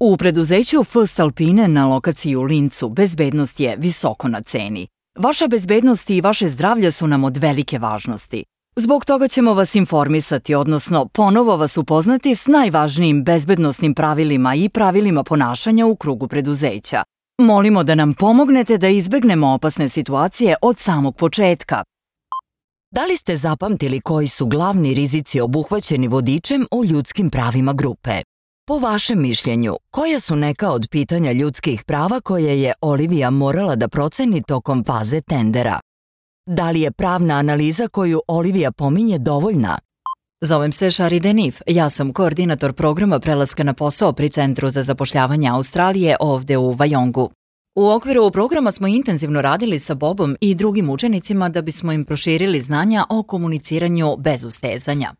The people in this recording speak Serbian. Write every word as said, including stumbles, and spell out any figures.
U preduzeću First Alpine na lokaciji u Lincu bezbednost je visoko na ceni. Vaša bezbednost i vaše zdravlje su nam od velike važnosti. Zbog toga ćemo vas informisati, odnosno ponovo vas upoznati s najvažnijim bezbednosnim pravilima i pravilima ponašanja u krugu preduzeća. Molimo da nam pomognete da izbegnemo opasne situacije od samog početka. Da li ste zapamtili koji su glavni rizici obuhvaćeni vodičem o ljudskim pravima grupe? Po vašem mišljenju, koja su neka od pitanja ljudskih prava koje je Olivia morala da proceni tokom faze tendera? Da li je pravna analiza koju Olivia pominje dovoljna? Zovem se Shari Denif, ja sam koordinator programa prelaska na posao pri Centru za zapošljavanje Australije ovde u Vajongu. U okviru programa smo intenzivno radili sa Bobom i drugim učenicima da bismo im proširili znanja o komuniciranju bez ustezanja.